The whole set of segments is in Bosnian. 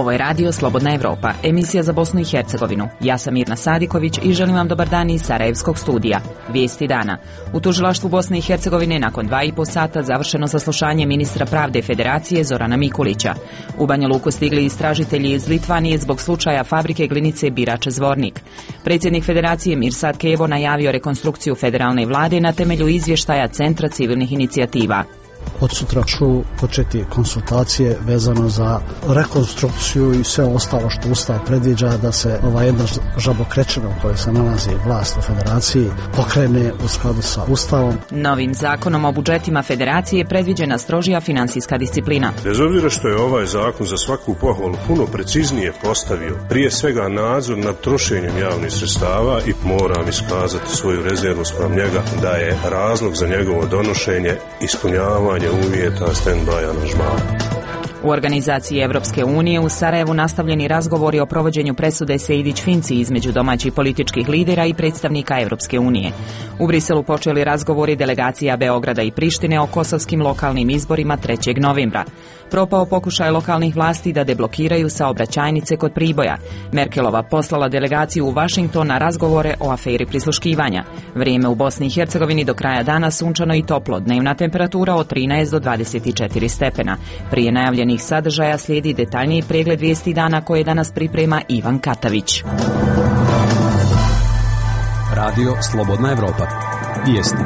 Ovo je radio Slobodna Evropa, emisija za Bosnu i Hercegovinu. Ja sam Mirna Sadiković i želim vam dobar dan iz Sarajevskog studija. Vijesti dana. U tužilaštvu Bosne i Hercegovine nakon 2,5 sata završeno saslušanje ministra pravde Federacije Zorana Mikulića. U Banja Luku stigli istražitelji iz Litvanije zbog slučaja fabrike glinice Birač Zvornik. Predsjednik Federacije Mirsad Kevo najavio rekonstrukciju federalne vlade na temelju izvještaja Centra civilnih inicijativa. Od sutra ću početi konsultacije vezano za rekonstrukciju i sve ostalo što Ustav predviđa da se ova jedna žabokrečina u kojoj se nalazi vlast u Federaciji pokrene u skladu sa Ustavom. Novim zakonom o budžetima Federacije predviđena strožija finansijska disciplina. Bez obzira što je ovaj zakon za svaku pohvalu puno preciznije postavio, prije svega nadzor nad trošenjem javnih sredstava, i moram iskazati svoju rezervu spram njega da je razlog za njegovo donošenje ispunjavanje uvjeta stand-by aranžmana. U organizaciji Evropske unije u Sarajevu nastavljeni razgovori o provođenju presude Sejdić-Finci između domaćih političkih lidera i predstavnika Evropske unije. U Briselu počeli razgovori delegacija Beograda i Prištine o kosovskim lokalnim izborima 3. novembra. Propao pokušaj lokalnih vlasti da deblokiraju saobraćajnice kod Priboja. Merkelova poslala delegaciju u Vašington na razgovore o aferi prisluškivanja. Vrijeme u Bosni i Hercegovini do kraja dana sunčano i toplo, dnevna temperatura od 13 do 24 stepena. Prije najavljenih sadržaja slijedi detaljniji pregled vijesti dana koje danas priprema Ivan Katavić. Radio Slobodna Evropa. Vijesti.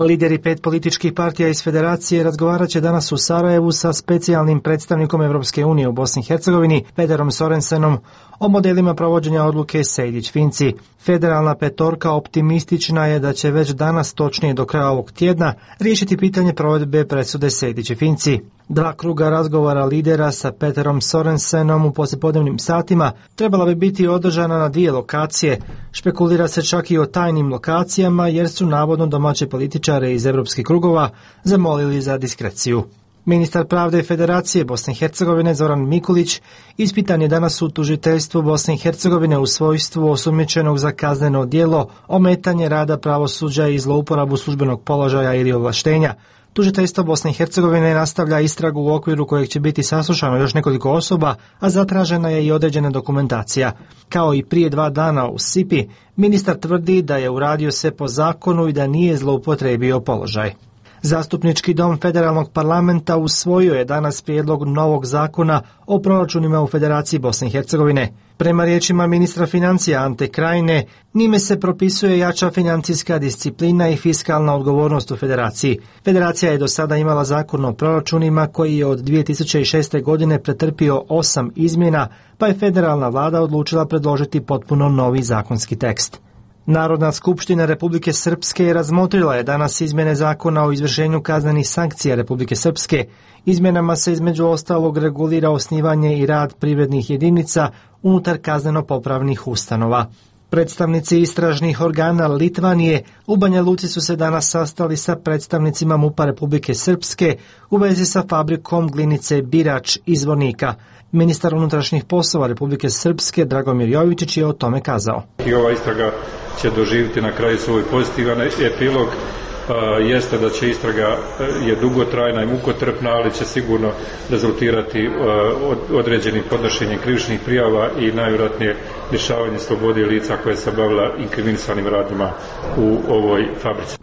Lideri 5 političkih partija iz Federacije razgovarat će danas u Sarajevu sa specijalnim predstavnikom Evropske unije u Bosni i Hercegovini, Pederom Sorensenom, o modelima provođenja odluke Sejdić-Finci. Federalna petorka optimistična je da će već danas, točnije do kraja ovog tjedna, riješiti pitanje provedbe presude Sejdić-Finci. 2 kruga razgovora lidera sa Pederom Sorensenom u poslijepodnevnim satima trebala bi biti održana na 2 lokacije. Špekulira se čak i o tajnim lokacijama jer su navodno domaće političare iz evropskih krugova zamolili za diskreciju. Ministar pravde Federacije Bosne i Hercegovine Zoran Mikulić ispitan je danas u tužiteljstvu Bosne i Hercegovine u svojstvu osumnjičenog za kazneno djelo ometanje rada pravosuđa i zlouporabu službenog položaja ili ovlaštenja. Tužiteljstvo Bosne i Hercegovine nastavlja istragu u okviru kojeg će biti saslušano još nekoliko osoba, a zatražena je i određena dokumentacija. Kao i prije 2 dana u Sipi, ministar tvrdi da je uradio sve po zakonu i da nije zloupotrijebio položaj. Zastupnički dom Federalnog parlamenta usvojio je danas prijedlog novog zakona o proračunima u Federaciji Bosne i Hercegovine. Prema riječima ministra financija Ante Krajine, njime se propisuje jača financijska disciplina i fiskalna odgovornost u Federaciji. Federacija je do sada imala zakon o proračunima koji je od 2006. godine pretrpio 8 izmjena, pa je federalna vlada odlučila predložiti potpuno novi zakonski tekst. Narodna skupština Republike Srpske razmotrila je danas izmjene zakona o izvršenju kaznenih sankcija Republike Srpske. Izmjenama se između ostalog regulira osnivanje i rad privrednih jedinica unutar kazneno-popravnih ustanova. Predstavnici istražnih organa Litvanije u Banja Luci su se danas sastali sa predstavnicima MUP-a Republike Srpske u vezi sa fabrikom glinice Birač iz Zvornika. Ministar unutrašnjih poslova Republike Srpske Dragomir Jovičić je o tome kazao. I ova istraga će doživjeti na kraju svoj pozitivan epilog. Jeste da će istraga je dugotrajna i mukotrpna, ali će sigurno rezultirati određenim podnošenjem krivičnih prijava i najvjerojatnije lišavanje slobode lica koje se bavila inkriminisanim radnjima u ovoj fabrici.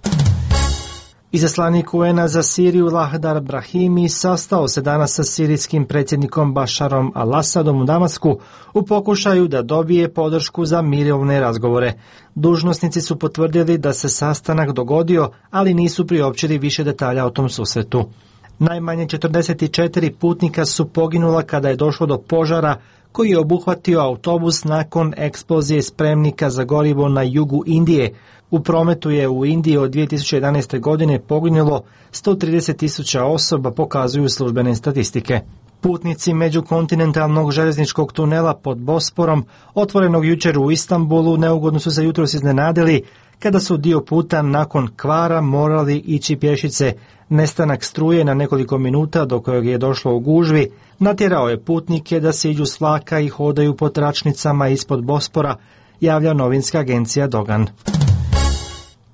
Izaslanik UN-a za Siriju Lahdar Brahimi sastao se danas sa sirijskim predsjednikom Bašarom al-Asadom u Damasku u pokušaju da dobije podršku za mirovne razgovore. Dužnosnici su potvrdili da se sastanak dogodio, ali nisu priopćili više detalja o tom susretu. Najmanje 44 putnika su poginula kada je došlo do požara koji je obuhvatio autobus nakon eksplozije spremnika za gorivo na jugu Indije. U prometu je u Indiji od 2011. godine poginulo 130.000 osoba, pokazuju službene statistike. Putnici međukontinentalnog željezničkog tunela pod Bosporom, otvorenog jučer u Istanbulu, neugodno su se jutros iznenadili kada su dio puta nakon kvara morali ići pješice. Nestanak struje na nekoliko minuta do kojeg je došlo u gužvi natjerao je putnike da se iđu s vlaka i hodaju po tračnicama ispod Bospora, javlja novinska agencija Dogan.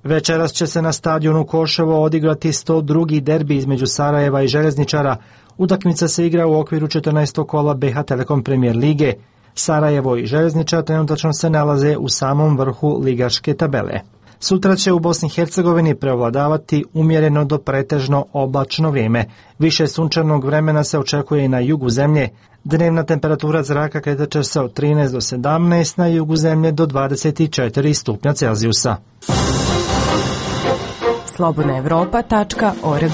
Večeras će se na stadionu Koševo odigrati 102. derbi između Sarajeva i Željezničara. Utakmica se igra u okviru 14. kola BH Telekom Premier lige. Sarajevo i Željezničar trenutačno se nalaze u samom vrhu ligaške tabele. Sutra će u Bosni i Hercegovini preovladavati umjereno do pretežno oblačno vrijeme. Više sunčanog vremena se očekuje i na jugu zemlje. Dnevna temperatura zraka kretat će se od 13 do 17, na jugu zemlje do 24 stupnja Celzijusa. slobodnaevropa.org.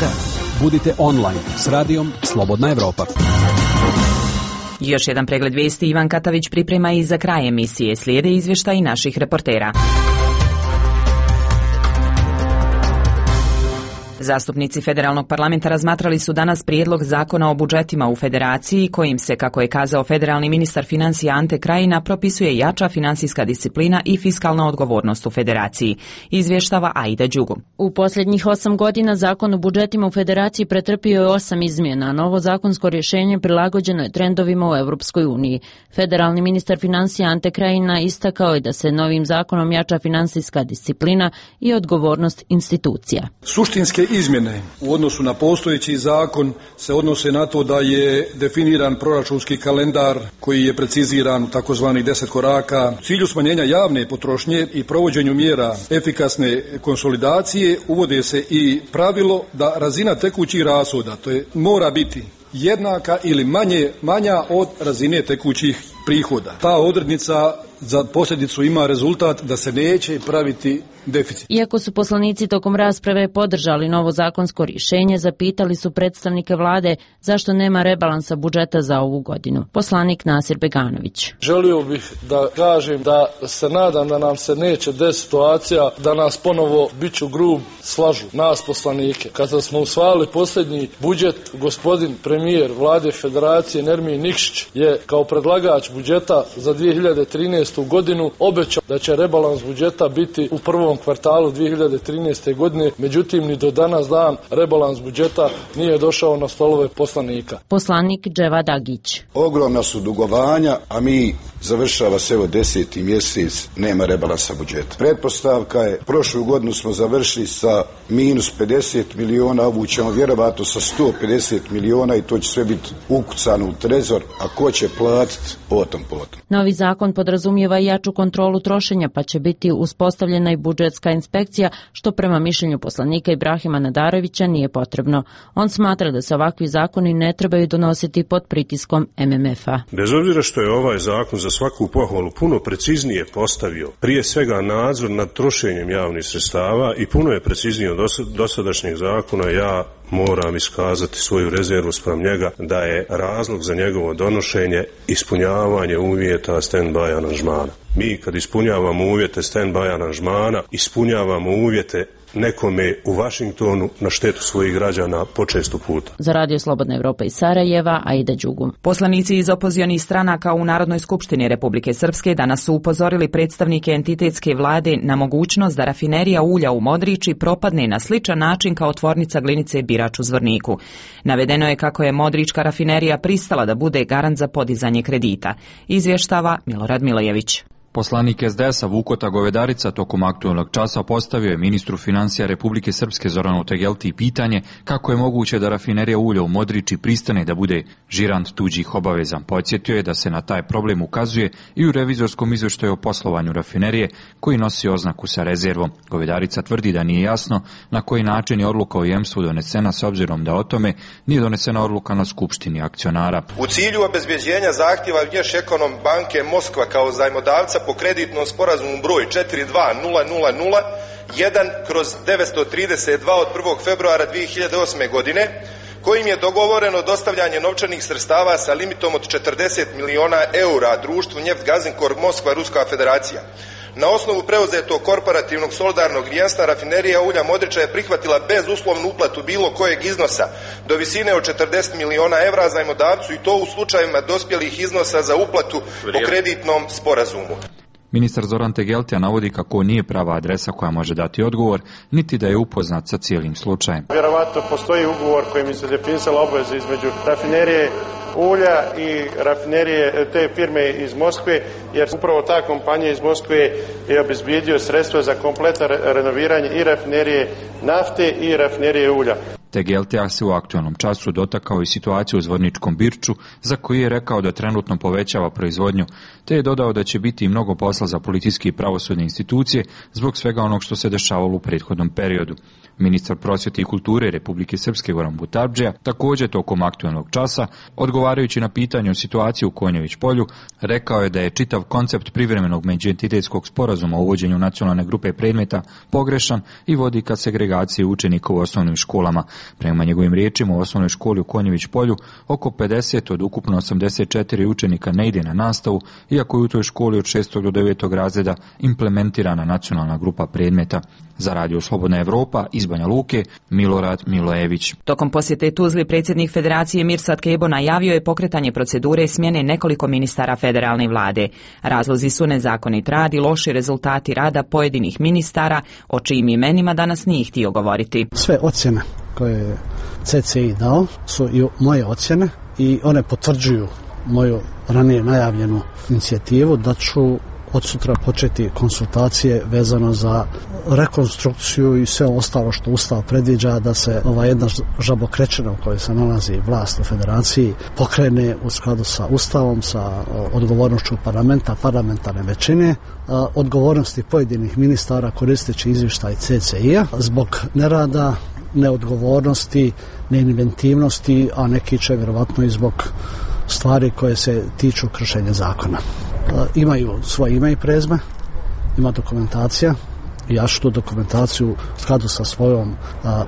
Budite online s radijom Slobodna Evropa. Još jedan pregled vijesti Ivan Katavić priprema i za kraj emisije. Slijede izvještaji naših reportera. Zastupnici federalnog parlamenta razmatrali su danas prijedlog zakona o budžetima u federaciji, kojim se, kako je kazao federalni ministar financija Ante Krajina, propisuje jača finansijska disciplina i fiskalna odgovornost u federaciji. Izvještava Aida Đugu. U posljednjih 8 godina zakon o budžetima u federaciji pretrpio je 8 izmjena. Novo zakonsko rješenje prilagođeno je trendovima u Europskoj uniji. Federalni ministar financija Ante Krajina istakao je da se novim zakonom jača finansijska disciplina i odgovornost institucija. Suštinske izmjene u odnosu na postojeći zakon se odnose na to da je definiran proračunski kalendar koji je preciziran u takozvanih 10 koraka. U cilju smanjenja javne potrošnje i provođenju mjera efikasne konsolidacije uvode se i pravilo da razina tekućih rashoda, to je mora biti jednaka ili manja od razine tekućih prihoda. Ta odrednica za posljedicu ima rezultat da se neće praviti deficit. Iako su poslanici tokom rasprave podržali novo zakonsko rješenje, zapitali su predstavnike vlade zašto nema rebalansa budžeta za ovu godinu. Poslanik Nasir Beganović. Želio bih da kažem da se nadam da nam se neće desiti situacija da nas ponovo biću grub slažu, nas poslanike. Kada smo usvajali posljednji budžet, gospodin premijer vlade federacije Nermin Nikšić je kao predlagač budžeta za 2013. godinu obećao da će rebalans budžeta biti u prvom kvartalu 2013. godine, međutim ni do danas dan rebalans budžeta nije došao na stolove poslanika. Poslanik Dževa Dagić. Ogromna su dugovanja, a mi završava se evo 10. mjesec, nema rebalansa budžeta. Pretpostavka je, prošlu godinu smo završili sa minus 50 miliona, ovu ćemo vjerovatno sa 150 miliona i to će sve biti ukucano u trezor, a ko će platiti potom. Novi zakon podrazumijeva jaču kontrolu trošenja, pa će biti uspostavljena i budžetska inspekcija, što prema mišljenju poslanika Ibrahima Nadarovića nije potrebno. On smatra da se ovakvi zakoni ne trebaju donositi pod pritiskom MMF-a. Bez obzira što je ovaj zakon za svaku pohvalu puno preciznije postavio, prije svega nadzor nad trošenjem javnih sredstava i puno je preciznije od dosadašnjeg zakona, ja moram iskazati svoju rezervu spram njega da je razlog za njegovo donošenje ispunjavanje uvjeta stand-by aranžmana. Mi kad ispunjavamo uvjete stand-by aranžmana, ispunjavamo uvjete nekome u Vašingtonu na štetu svojih građana počesto puta. Za Radio Slobodna Evropa iz Sarajeva, Aida Đugu. Poslanici iz opozionih stranaka u Narodnoj skupštini Republike Srpske danas su upozorili predstavnike entitetske vlade na mogućnost da rafinerija ulja u Modriči propadne na sličan način kao tvornica glinice Birač u Zvorniku. Navedeno je kako je Modrička rafinerija pristala da bude garant za podizanje kredita. Izvještava Milorad Milojević. Poslanik SDS-a Vukota Govedarica tokom aktualnog časa postavio je ministru financija Republike Srpske Zoranu Tegelti pitanje kako je moguće da rafinerija ulja u Modriči pristane da bude žirant tuđih obaveza. Podsjetio je da se na taj problem ukazuje i u revizorskom izvještaju o poslovanju rafinerije koji nosi oznaku sa rezervom. Govedarica tvrdi da nije jasno na koji način je odluka o jemstvu donesena s obzirom da o tome nije donesena odluka na skupštini akcionara. U cilju obezbjeđenja zahtjeva Vnješekonom banke Moskva kao zajmodavca po kreditnom sporazumu broj 42000-1/932 od 1. februara 2008. godine, kojim je dogovoreno dostavljanje novčanih sredstava sa limitom od 40 miliona eura društvu Njeftgazinkor Moskva Ruska federacija. Na osnovu preuzetog korporativnog solidarnog rijenstva rafinerija ulja Modriča je prihvatila bezuslovnu uplatu bilo kojeg iznosa do visine od 40 miliona evra zajmodavcu i to u slučajevima dospjelih iznosa za uplatu po kreditnom sporazumu. Ministar Zoran Tegeltija navodi kako nije prava adresa koja može dati odgovor, niti da je upoznat sa cijelim slučajem. Vjerovatno postoji ugovor kojim se definisala obaveza između rafinerije ulja i rafinerije te firme iz Moskve, jer upravo ta kompanija iz Moskve je obezbijedio sredstva za kompletno renoviranje i rafinerije nafte i rafinerije ulja. TGLTA se u aktualnom času dotakao i situaciju u Zvorničkom Birču, za koji je rekao da trenutno povećava proizvodnju, te je dodao da će biti mnogo posla za policijske i pravosudne institucije zbog svega onog što se dešavalo u prethodnom periodu. Ministar prosvjete i kulture Republike Srpske Goran Butardžija također tokom aktualnog časa, odgovarajući na pitanje o situaciji u Konjević polju, rekao je da je čitav koncept privremenog međuentitetskog sporazuma o uvođenju nacionalne grupe predmeta pogrešan i vodi ka segregaciji učenika u osnovnim školama. Prema njegovim riječima, u osnovnoj školi u Konjević polju oko 50 od ukupno 84 učenika ne ide na nastavu, iako je u toj školi od 6. do 9. razreda implementirana nacionalna grupa predmeta. Za Radio Slobodna Evropa iz Banja Luke, Milorad Milojević. Tokom posjete Tuzli predsjednik Federacije Mirsad Kebo najavio je pokretanje procedure smjene nekoliko ministara federalne vlade. Razlozi su nezakonit rad i loši rezultati rada pojedinih ministara, o čijim imenima danas nije htio govoriti. Sve ocjene koje je CCI dao su i moje ocjene i one potvrđuju moju ranije najavljenu inicijativu da ću od sutra početi konsultacije vezano za rekonstrukciju i sve ostalo što Ustav predviđa da se ova jedna žabokrečina u kojoj se nalazi vlast u Federaciji pokrene u skladu sa Ustavom, sa odgovornošću parlamenta, parlamentarne većine, odgovornosti pojedinih ministara koristeći izvještaj CCI-a zbog nerada, neodgovornosti, neinventivnosti, a neki će vjerovatno i zbog stvari koje se tiču kršenja zakona. Imaju svoje ime i prezme, ima dokumentacija i ja ću tu dokumentaciju u skladu sa svojom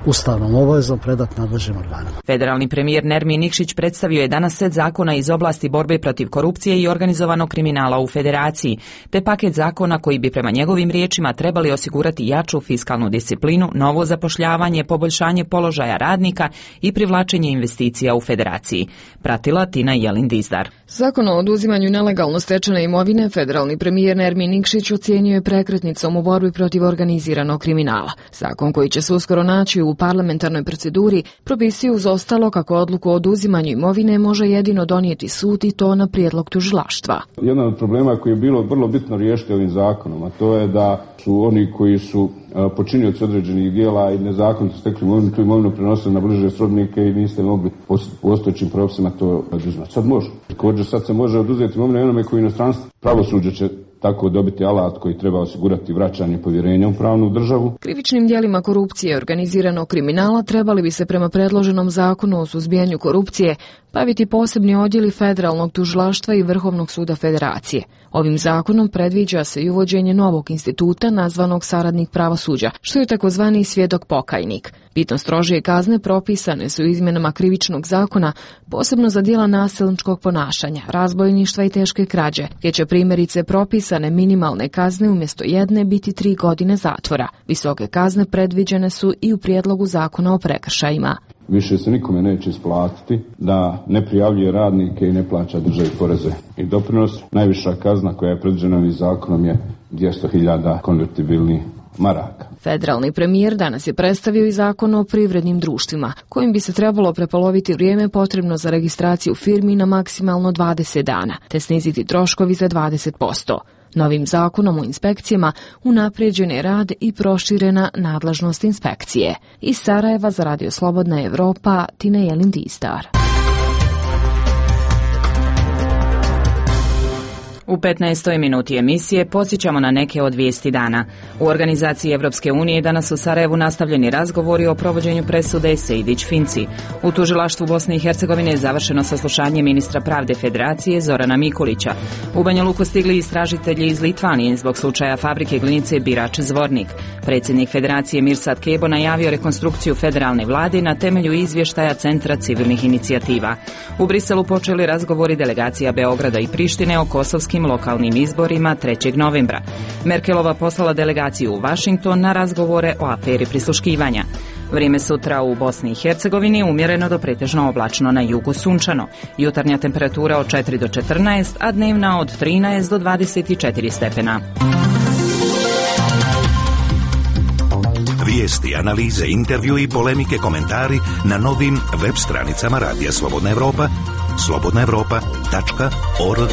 ustavnom obavezom predati nadležnim organima. Federalni premijer Nermin Nikšić predstavio je danas set zakona iz oblasti borbe protiv korupcije i organizovanog kriminala u Federaciji, te paket zakona koji bi prema njegovim riječima trebali osigurati jaču fiskalnu disciplinu, novo zapošljavanje, poboljšanje položaja radnika i privlačenje investicija u Federaciji. Pratila Tina Jelin-Dizdar. Zakon o oduzimanju nelegalno stečene imovine federalni premijer Nermin Nikšić ocijenio je prekretnicom u borbi protiv organiziranog kriminala. Zakon koji će se uskoro naći u parlamentarnoj proceduri propisuje uz ostalo kako odluku o oduzimanju imovine može jedino donijeti sud i to na prijedlog tužilaštva. Jedan od problema koji je bilo vrlo bitno riješiti ovim zakonom, a to je da su oni koji su počinioci određenih dijela i nezakonito stekli imovinu, tu imovinu prenosili na bliže srodnike i niste mogli po postojećim propisima to oduzimati. Sad može. Također sad se može oduzeti imovinu onome koji inostranstvo. Pravosuđe će tako dobiti alat koji treba osigurati vraćanje povjerenja u pravnu državu. Krivičnim djelima korupcije i organiziranog kriminala trebali bi se prema predloženom zakonu o suzbijanju korupcije baviti posebni odjeli federalnog tužilaštva i Vrhovnog suda Federacije. Ovim zakonom predviđa se i uvođenje novog instituta nazvanog saradnik pravosuđa, što je takozvani svjedok pokajnik. Bitno strožije kazne propisane su izmjenama krivičnog zakona, posebno za djela nasilničkog ponašanja, razbojništva i teške krađe, gdje će primjerice propisane minimalne kazne umjesto 1 biti 3 godine zatvora. Visoke kazne predviđene su i u prijedlogu zakona o prekršajima. Više se nikome neće isplatiti da ne prijavljuje radnike i ne plaća državi poreze i doprinos. Najviša kazna koja je predviđena ovim zakonom je 200.000 konvertibilnih maraka. Federalni premijer danas je predstavio i zakon o privrednim društvima, kojim bi se trebalo prepoloviti vrijeme potrebno za registraciju firmi na maksimalno 20 dana, te sniziti troškovi za 20%. Novim zakonom o inspekcijama unaprijeđen je rad i proširena nadležnost inspekcije. Iz Sarajeva za Radio Slobodna Evropa, Tina Jelin-Dizdar. U 15. minuti emisije podsjećamo na neke od vijesti dana. U organizaciji Evropske unije danas u Sarajevu nastavljeni razgovori o provođenju presude Sejdić-Finci. U tužilaštvu Bosne i Hercegovine je završeno saslušanje ministra pravde Federacije Zorana Mikulića. U Banja Luku stigli istražitelji iz Litvanije zbog slučaja fabrike glinice Birač Zvornik. Predsjednik Federacije Mirsad Kebo najavio rekonstrukciju federalne vlade na temelju izvještaja Centra civilnih inicijativa. U Briselu počeli razgovori delegacija Beograda i Prištine o kosovskim lokalnim izborima 3. novembra. Merkelova poslala delegaciju u Washington na razgovore o aferi prisluškivanja. Vrijeme sutra u Bosni i Hercegovini umjereno do pretežno oblačno, na jugu sunčano. Jutarnja temperatura od 4 do 14, a dnevna od 13 do 24 stepena. Vijesti, analize, intervju i polemike, komentari na novim web stranicama Radija Slobodna Evropa slobodnaevropa.org.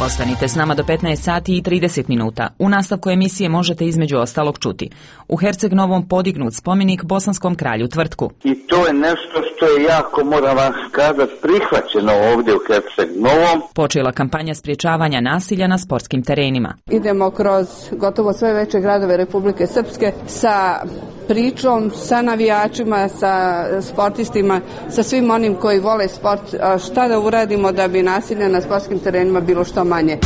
Ostanite s nama do 15 sati i 30 minuta. U nastavku emisije možete između ostalog čuti. U Herceg Novom podignut spomenik bosanskom kralju Tvrtku. I to je nešto što je jako, moram vam kazati, prihvaćeno ovdje u Herceg Novom. Počela kampanja sprječavanja nasilja na sportskim terenima. Idemo kroz gotovo sve veće gradove Republike Srpske sa pričom, sa navijačima, sa sportistima, sa svim onim koji vole sport, šta da uradimo da bi nasilja na sportskim terenima bilo što manje.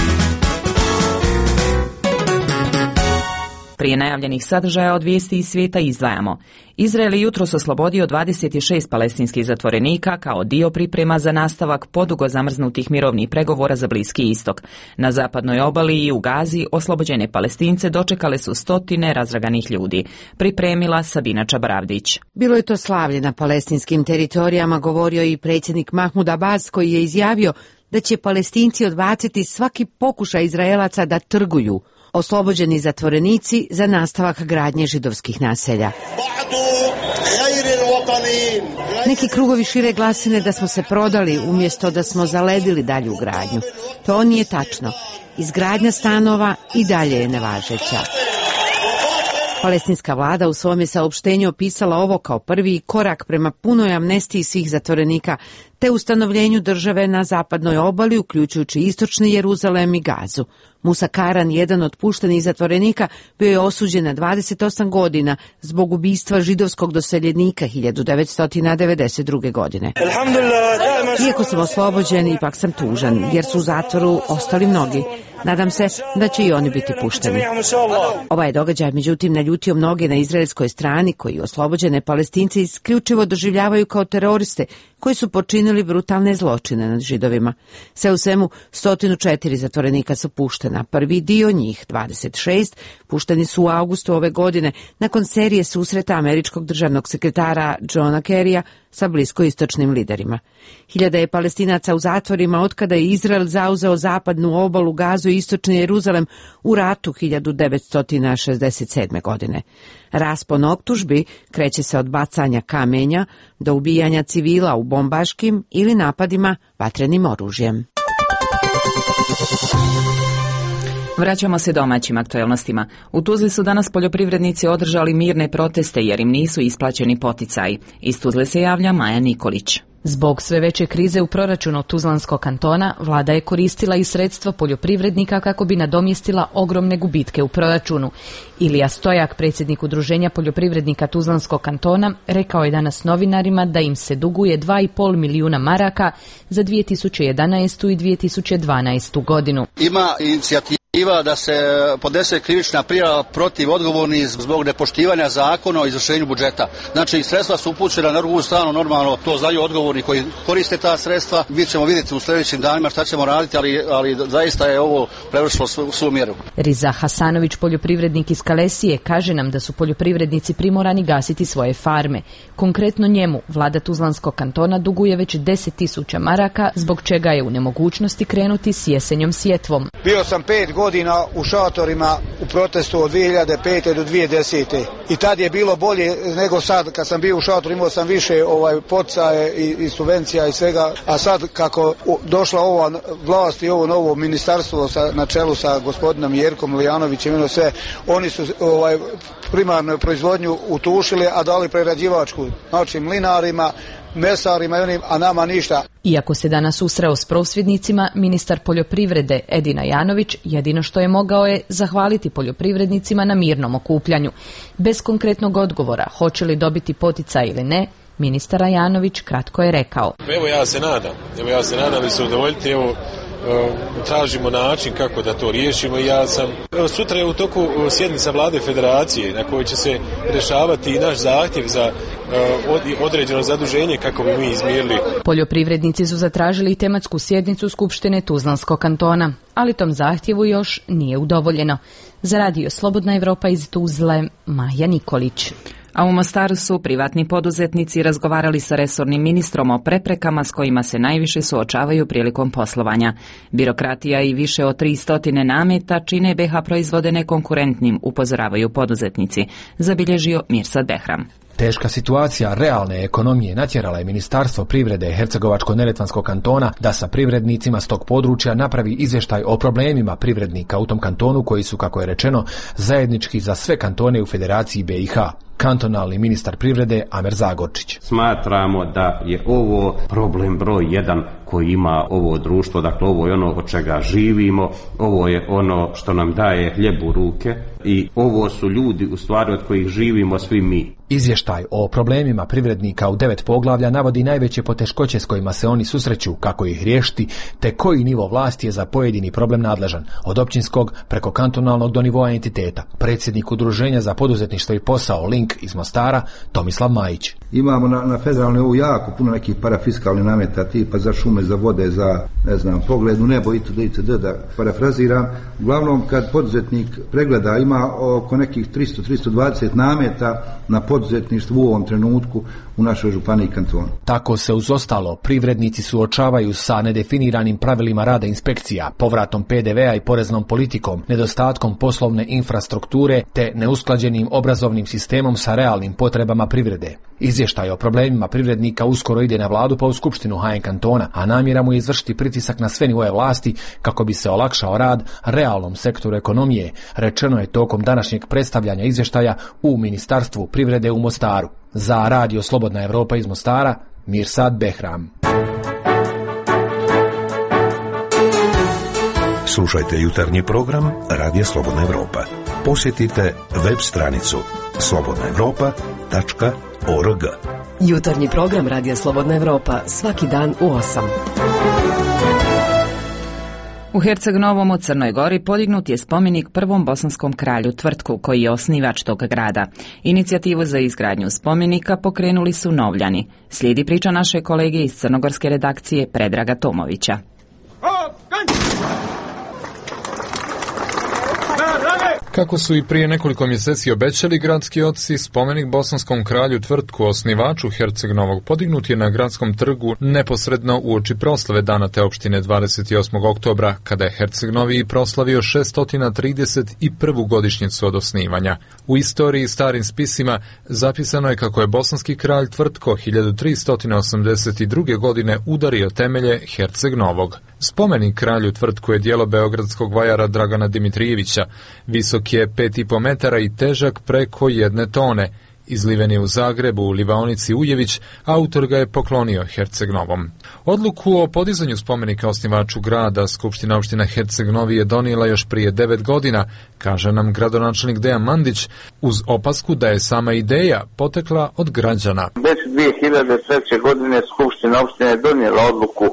Prije najavljenih sadržaja od vijesti iz svijeta izdvajamo. Izrael je jutros oslobodio 26 palestinskih zatvorenika kao dio priprema za nastavak podugo zamrznutih mirovnih pregovora za Bliski istok. Na zapadnoj obali i u Gazi oslobođene Palestince dočekale su stotine razraganih ljudi. Pripremila Sabina Čabaravdić. Bilo je to slavlje na palestinskim teritorijama, govorio i predsjednik Mahmud Abbas, koji je izjavio da će Palestinci odbaciti svaki pokušaj Izraelaca da trguju oslobođeni zatvorenici za nastavak gradnje židovskih naselja. Neki krugovi šire glasine da smo se prodali umjesto da smo zaledili dalju gradnju. To nije tačno. Izgradnja stanova i dalje je nevažeća. Palestinska vlada u svom je saopštenju opisala ovo kao prvi korak prema punoj amnestiji svih zatvorenika te ustanovljenju države na zapadnoj obali, uključujući istočni Jeruzalem i Gazu. Musa Karan, jedan od puštenih zatvorenika, bio je osuđen na 28 godina zbog ubistva židovskog doseljenika 1992. godine. Iako sam oslobođen, ipak sam tužan, jer su u zatvoru ostali mnogi. Nadam se da će i oni biti pušteni. Ovaj događaj, međutim, naljutio mnoge na izraelskoj strani, koji oslobođene Palestince isključivo doživljavaju kao teroriste, koji su počinili brutalne zločine nad Židovima. Sve u svemu, 104 zatvorenika su puštena. Prvi dio njih, 26, pušteni su u avgustu ove godine, nakon serije susreta američkog državnog sekretara Johna Kerrya sa bliskoistočnim liderima. Hiljade je Palestinaca u zatvorima otkada je Izrael zauzeo zapadnu obalu, Gazu i istočni Jeruzalem u ratu 1967. godine. Raspon optužbi kreće se od bacanja kamenja do ubijanja civila u bombaškim ili napadima vatrenim oružjem. Vraćamo se domaćim aktuelnostima. U Tuzli su danas poljoprivrednici održali mirne proteste jer im nisu isplaćeni poticaji. Iz Tuzle se javlja Maja Nikolić. Zbog sve veće krize u proračunu Tuzlanskog kantona, vlada je koristila i sredstva poljoprivrednika kako bi nadomjestila ogromne gubitke u proračunu. Ilija Stojak, predsjednik Udruženja poljoprivrednika Tuzlanskog kantona, rekao je danas novinarima da im se duguje 2,5 milijuna maraka za 2011. i 2012. godinu. Ima inicijativa da se podnese krivična prijava protiv odgovornih zbog nepoštivanja zakona o izvršenju budžeta. Znači, sredstva su upućena na drugu stranu, normalno to znaju odgovorni koji koriste ta sredstva. Mi ćemo vidjeti u sljedećim danima šta ćemo raditi, ali zaista je ovo prevršilo svu mjeru. Riza Hasanović, poljoprivrednik iz Kalesije, kaže nam da su poljoprivrednici primorani gasiti svoje farme. Konkretno njemu, vlada Tuzlanskog kantona duguje već 10.000 maraka, zbog čega je u nemogućnosti krenuti s jesenjom sjetvom. Bio sam 5 godina u šatorima u protestu od 2005. do 2010. I tad je bilo bolje nego sad. Kad sam bio u šatoru imao sam više poticaje i subvencija i svega. A sad kako došla ova vlast i ovo novo ministarstvo na čelu sa gospodinom Jerkom Lijanovićem, sve, oni su primarnu proizvodnju utušili, a dali prerađivačku. Znači mlinarima, mesarima i onim, a nama ništa. Iako se danas susreo s prosvjednicima, ministar poljoprivrede Edina Janović jedino što je mogao je zahvaliti poljoprivrednicima na mirnom okupljanju. Bez konkretnog odgovora hoće li dobiti poticaj ili ne, ministar Janović kratko je rekao. Evo ja se nadam da se udovoljiti, tražimo način kako da to riješimo. Sutra je u toku sjednica vlade federacije na kojoj će se rješavati i naš zahtjev za određeno zaduženje kako bi mi izmirili. Poljoprivrednici su zatražili tematsku sjednicu Skupštine Tuzlanskog kantona, ali tom zahtjevu još nije udovoljeno. Za radio Slobodna Evropa iz Tuzle, Maja Nikolić. A u Mostaru su privatni poduzetnici razgovarali sa resornim ministrom o preprekama s kojima se najviše suočavaju prilikom poslovanja. Birokratija i više od 300 nameta čine BH proizvode nekonkurentnim, upozoravaju poduzetnici, zabilježio Mirsad Behram. Teška situacija realne ekonomije natjerala je Ministarstvo privrede Hercegovačko-neretvanskog kantona da sa privrednicima s tog područja napravi izvještaj o problemima privrednika u tom kantonu koji su, kako je rečeno, zajednički za sve kantone u Federaciji BiH. Kantonalni ministar privrede Amer Zagorčić. Smatramo da je ovo problem broj 1 koji ima ovo društvo, dakle ovo je ono od čega živimo, ovo je ono što nam daje hljeb u ruke i ovo su ljudi u stvari od kojih živimo svi mi. Izvještaj o problemima privrednika u 9 poglavlja navodi najveće poteškoće s kojima se oni susreću, kako ih riješiti, te koji nivo vlasti je za pojedini problem nadležan, od općinskog preko kantonalnog do nivoa entiteta. Predsjednik Udruženja za poduzetništvo i posao Link iz Mostara, Tomislav Majić. Imamo na federalnoj nivou jako puno nekih parafiskalnih nameta, tipa za šume, za vode, za, ne znam, pogled u nebo itd. Da parafraziram. Uglavnom, kad poduzetnik pregleda, ima oko nekih 300-320 nameta na poduzetništvu u ovom trenutku u našoj županiji kantonu. Tako se uz ostalo privrednici suočavaju sa nedefiniranim pravilima rada inspekcija, povratom PDV-a i poreznom politikom, nedostatkom poslovne infrastrukture te neusklađenim obrazovnim sistemom sa realnim potrebama privrede. Izvještaj o problemima privrednika uskoro ide na vladu pa u skupštinu HN kantona, a namjera mu je izvršiti pritisak na sve nivoe vlasti kako bi se olakšao rad realnom sektoru ekonomije, rečeno je tokom današnjeg predstavljanja izvještaja u Ministarstvu privrede u Mostaru. Za Radio Slobodna Evropa iz Mostara, Mirsad Behram. Slušajte jutarnji program Radio Slobodna Evropa. Posjetite web stranicu slobodnaevropa.org. Jutarnji program Radio Slobodna Evropa svaki dan u 8. U Herceg-Novom u Crnoj Gori podignut je spomenik prvom bosanskom kralju Tvrtku, koji je osnivač tog grada. Inicijativu za izgradnju spomenika pokrenuli su Novljani. Slijedi priča naše kolege iz crnogorske redakcije Predraga Tomovića. Kako su i prije nekoliko mjeseci obećali gradski oci, spomenik bosanskom kralju Tvrtku, osnivaču Herceg-Novog, podignut je na gradskom trgu neposredno uoči proslave dana te opštine 28. oktobra, kada je Herceg-Novi proslavio 631. godišnjicu od osnivanja. U istoriji i starim spisima zapisano je kako je bosanski kralj Tvrtko 1382. godine udario temelje Herceg-Novog. Spomenik kralju Tvrtku je djelo beogradskog vajara Dragana Dimitrijevića. Visok je 5,5 metara i težak preko 1 tone. Izliven je u Zagrebu u livaonici Ujević, autor ga je poklonio Herceg-Novom. Odluku o podizanju spomenika osnivaču grada Skupština opština Herceg-Novi je donijela još prije 9 godina, kaže nam gradonačelnik Dejan Mandić, uz opasku da je sama ideja potekla od građana. Već 2003. godine Skupština opštine je donijela odluku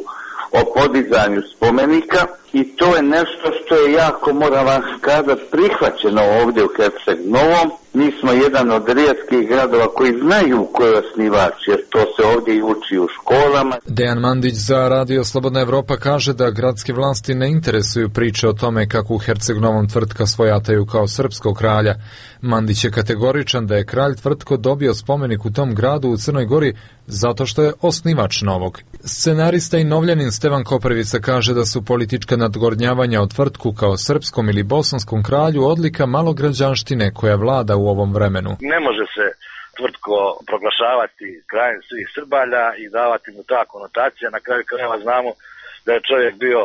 o podizanju spomenika i to je nešto što je jako, moram vam kazati, prihvaćeno ovdje u Herceg-Novom. Mi smo jedan od rijetkih gradova koji znaju ko je osnivač, jer to se ovdje i uči u školama. Dejan Mandić za Radio Slobodna Evropa kaže da gradske vlasti ne interesuju priče o tome kako u Herceg-Novom Tvrtka svojataju kao srpskog kralja. Mandić je kategoričan da je kralj Tvrtko dobio spomenik u tom gradu u Crnoj Gori zato što je osnivač novog. Scenarista i Novljanin Stevan Koprivica kaže da su politička nadgornjavanja o Tvrtku kao srpskom ili bosanskom kralju odlika malograđanštine koja vlada u ovom vremenu. Ne može se Tvrtko proglašavati krajem svih Srbalja i davati mu ta konotacija. Na kraju krajeva znamo da je čovjek bio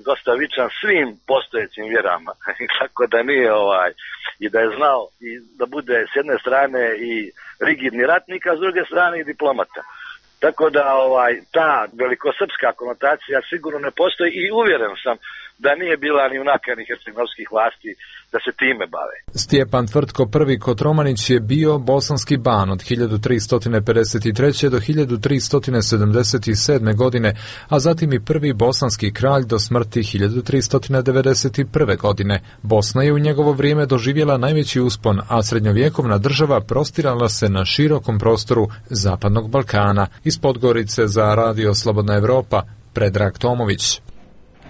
dosta vičan svim postojećim vjerama. Tako da nije i da je znao i da bude s jedne strane i rigidni ratnik, a s druge strane i diplomata. Tako da ta velikosrpska konotacija sigurno ne postoji i uvjeren sam da nije bila ni u nakani herceg-novskih vlasti da se time bave. Stjepan Tvrtko I Kotromanić je bio bosanski ban od 1353. do 1377. godine, a zatim i prvi bosanski kralj do smrti 1391. godine. Bosna je u njegovo vrijeme doživjela najveći uspon, a srednjovjekovna država prostirala se na širokom prostoru Zapadnog Balkana. Iz Podgorice za Radio Slobodna Evropa, Predrag Tomović.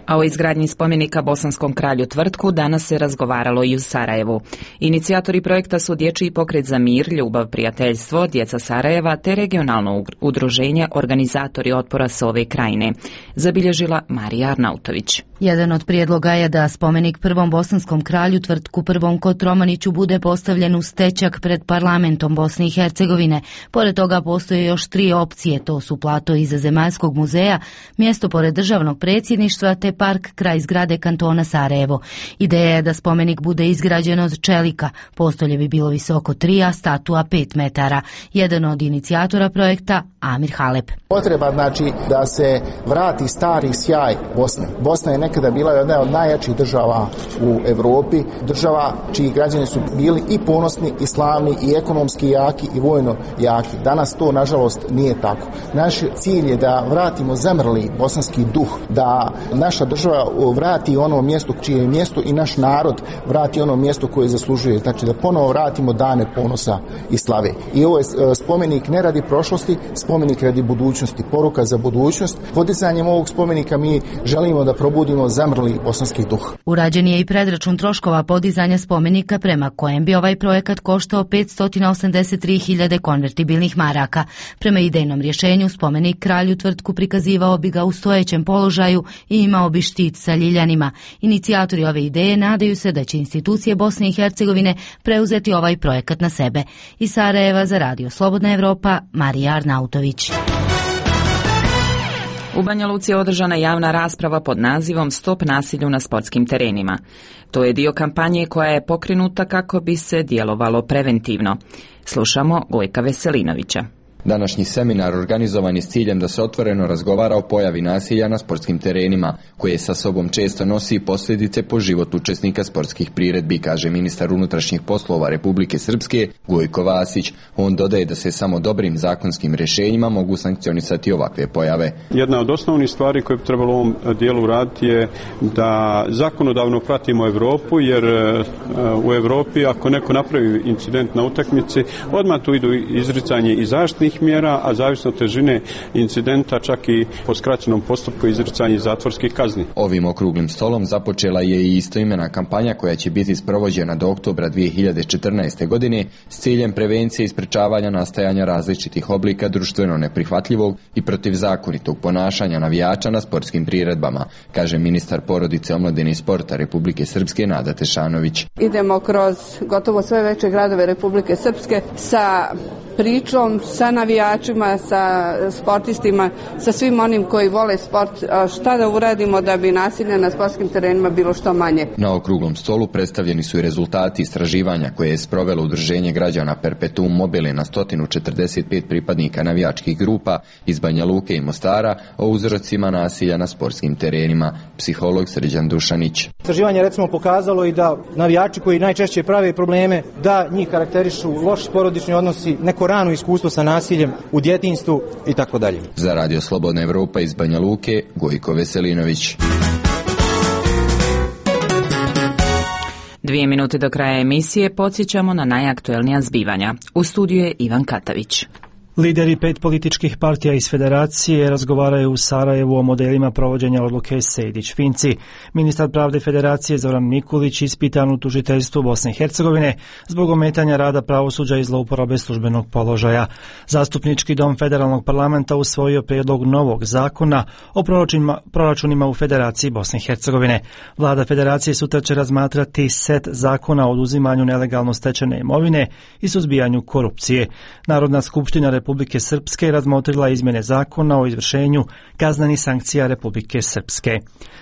A o izgradnji spomenika bosanskom kralju Tvrtku danas se razgovaralo i u Sarajevu. Inicijatori projekta su Dječji pokret za mir, ljubav, prijateljstvo, Djeca Sarajeva te regionalno udruženje Organizatori otpora Sove krajine, zabilježila Marija Arnautović. Jedan od prijedloga je da spomenik prvom bosanskom kralju Tvrtku I Kotromaniću bude postavljen u stečak pred parlamentom Bosne i Hercegovine. Pored toga postoje još 3 opcije, to su plato iza Zemaljskog muzeja, mjesto pored državnog predsjedništva te park kraj zgrade kantona Sarajevo. Ideja je da spomenik bude izgrađen od čelika, postolje bi bilo visoko 3, a statua 5 metara. Jedan od inicijatora projekta Amir Halep. Potreba znači da se vrati stari sjaj Bosne. Bosna je nekada bila jedna od najjačih država u Europi, država čiji građani su bili i ponosni, i slavni, i ekonomski jaki, i vojno jaki. Danas to, nažalost, nije tako. Naš cilj je da vratimo zamrli bosanski duh, da naša država vrati ono mjesto čije je mjesto i naš narod vrati ono mjesto koje zaslužuje. Znači da ponovo vratimo dane ponosa i slave. I ovo je spomenik ne radi prošlosti, spomenik radi budućnosti, poruka za budućnost. Podizanjem ovog spomenika mi želimo da probudimo zamrli bosanski duh. Urađen je i predračun troškova podizanja spomenika prema kojem bi ovaj projekat koštao 583.000 konvertibilnih maraka. Prema idejnom rješenju spomenik kralju Tvrtku prikazivao bi ga u stojećem položaju i imao bi štit sa ljiljanima. Inicijatori ove ideje nadaju se da će institucije Bosne i Hercegovine preuzeti ovaj projekat na sebe. Iz Sarajeva za Radio Slobodna Evropa, Marija Arnautović. U Banja Luci je održana javna rasprava pod nazivom Stop nasilju na sportskim terenima. To je dio kampanje koja je pokrenuta kako bi se djelovalo preventivno. Slušamo Gojka Veselinovića. Današnji seminar organizovan je s ciljem da se otvoreno razgovara o pojavi nasilja na sportskim terenima, koje sa sobom često nosi posljedice po život učesnika sportskih priredbi, kaže ministar unutrašnjih poslova Republike Srpske Gojko Vasić. On dodaje da se samo dobrim zakonskim rješenjima mogu sankcionisati ovakve pojave. Jedna od osnovnih stvari koje bi trebalo u ovom dijelu raditi je da zakonodavno pratimo Europu, jer u Europi ako neko napravi incident na utakmici, odmah tu idu izricanje i zaštitnih mjera, a zavisno od težine incidenta čak i po skraćenom postupku izricanje zatvorskih kazni. Ovim okruglim stolom započela je i istoimena kampanja koja će biti sprovođena do oktobra 2014. godine s ciljem prevencije i sprečavanja nastajanja različitih oblika društveno neprihvatljivog i protivzakonitog ponašanja navijača na sportskim priredbama, kaže ministar porodice, omladine i sporta Republike Srpske Nada Tešanović. Idemo kroz gotovo sve veće gradove Republike Srpske sa pričom, sa navijačima, sa sportistima, sa svim onim koji vole sport, šta da uradimo da bi nasilje na sportskim terenima bilo što manje. Na okruglom stolu predstavljeni su i rezultati istraživanja koje je sprovelo Udruženje građana Perpetuum mobile na 145 pripadnika navijačkih grupa iz Banja Luke i Mostara o uzrocima nasilja na sportskim terenima. Psiholog Srđan Dušanić. Istraživanje recimo pokazalo i da navijači koji najčešće prave probleme, da njih karakterišu loši porodični odnosi, neko rano iskustvo sa nasiljem u djetinjstvu i tako dalje. Za Radio Slobodna Evropa iz Banja Luke, Gojko Veselinović. 2 minute do kraja emisije podsjećamo na najaktuelnija zbivanja. U studiju je Ivan Katavić. Lideri 5 političkih partija iz Federacije razgovaraju u Sarajevu o modelima provođenja odluke Sejdić-Finci. Ministar pravde Federacije Zoran Mikulić ispitan u tužiteljstvu Bosne i Hercegovine zbog ometanja rada pravosuđa i zlouporabe službenog položaja. Zastupnički dom Federalnog parlamenta usvojio prijedlog novog zakona o proračunima u Federaciji Bosne i Hercegovine. Vlada Federacije sutra će razmatrati set zakona o oduzimanju nelegalno stečene imovine i suzbijanju korupcije. Narodna skupština Republike Srpske razmotrila izmjene zakona o izvršenju kaznenih sankcija Republike Srpske.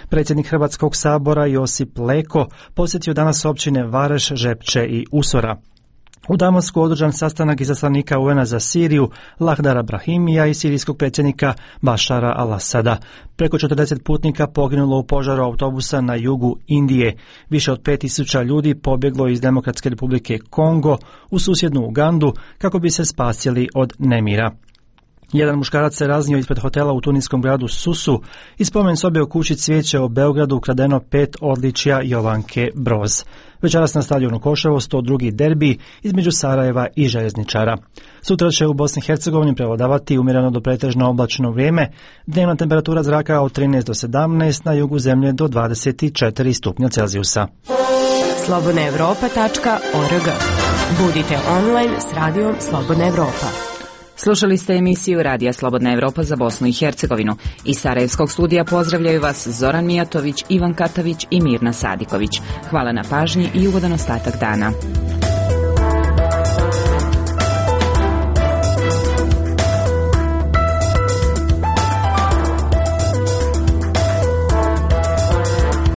Predsjednik Hrvatskog sabora Josip Leko posjetio danas općine Vareš, Žepče i Usora. U Damasku održan sastanak izaslanika UN-a za Siriju Lahdara Brahimija i sirijskog predsjednika Bašara al-Asada. Preko 40 putnika poginulo u požaru autobusa na jugu Indije. Više od 5000 ljudi pobjeglo iz Demokratske republike Kongo u susjednu Ugandu kako bi se spasili od nemira. Jedan muškarac se raznio ispred hotela u tuniskom gradu Susu i spomen sobe u kući Cvijeće u Beogradu ukradeno 5 odličja Jovanke Broz. Večeras na stadionu Koševo 102. derbi između Sarajeva i Željezničara. Sutra će u Bosni i Hercegovini prevladavati umjereno do pretežno oblačno vrijeme, dnevna temperatura zraka od 13 do 17, na jugu zemlje do 24 stupnja Celzijusa. slobodnaevropa.org. Budite online s radijom Slobodna Evropa. Slušali ste emisiju Radija Slobodna Evropa za Bosnu i Hercegovinu. Iz Sarajevskog studija pozdravljaju vas Zoran Mijatović, Ivan Katavić i Mirna Sadiković. Hvala na pažnji i ugodan ostatak dana.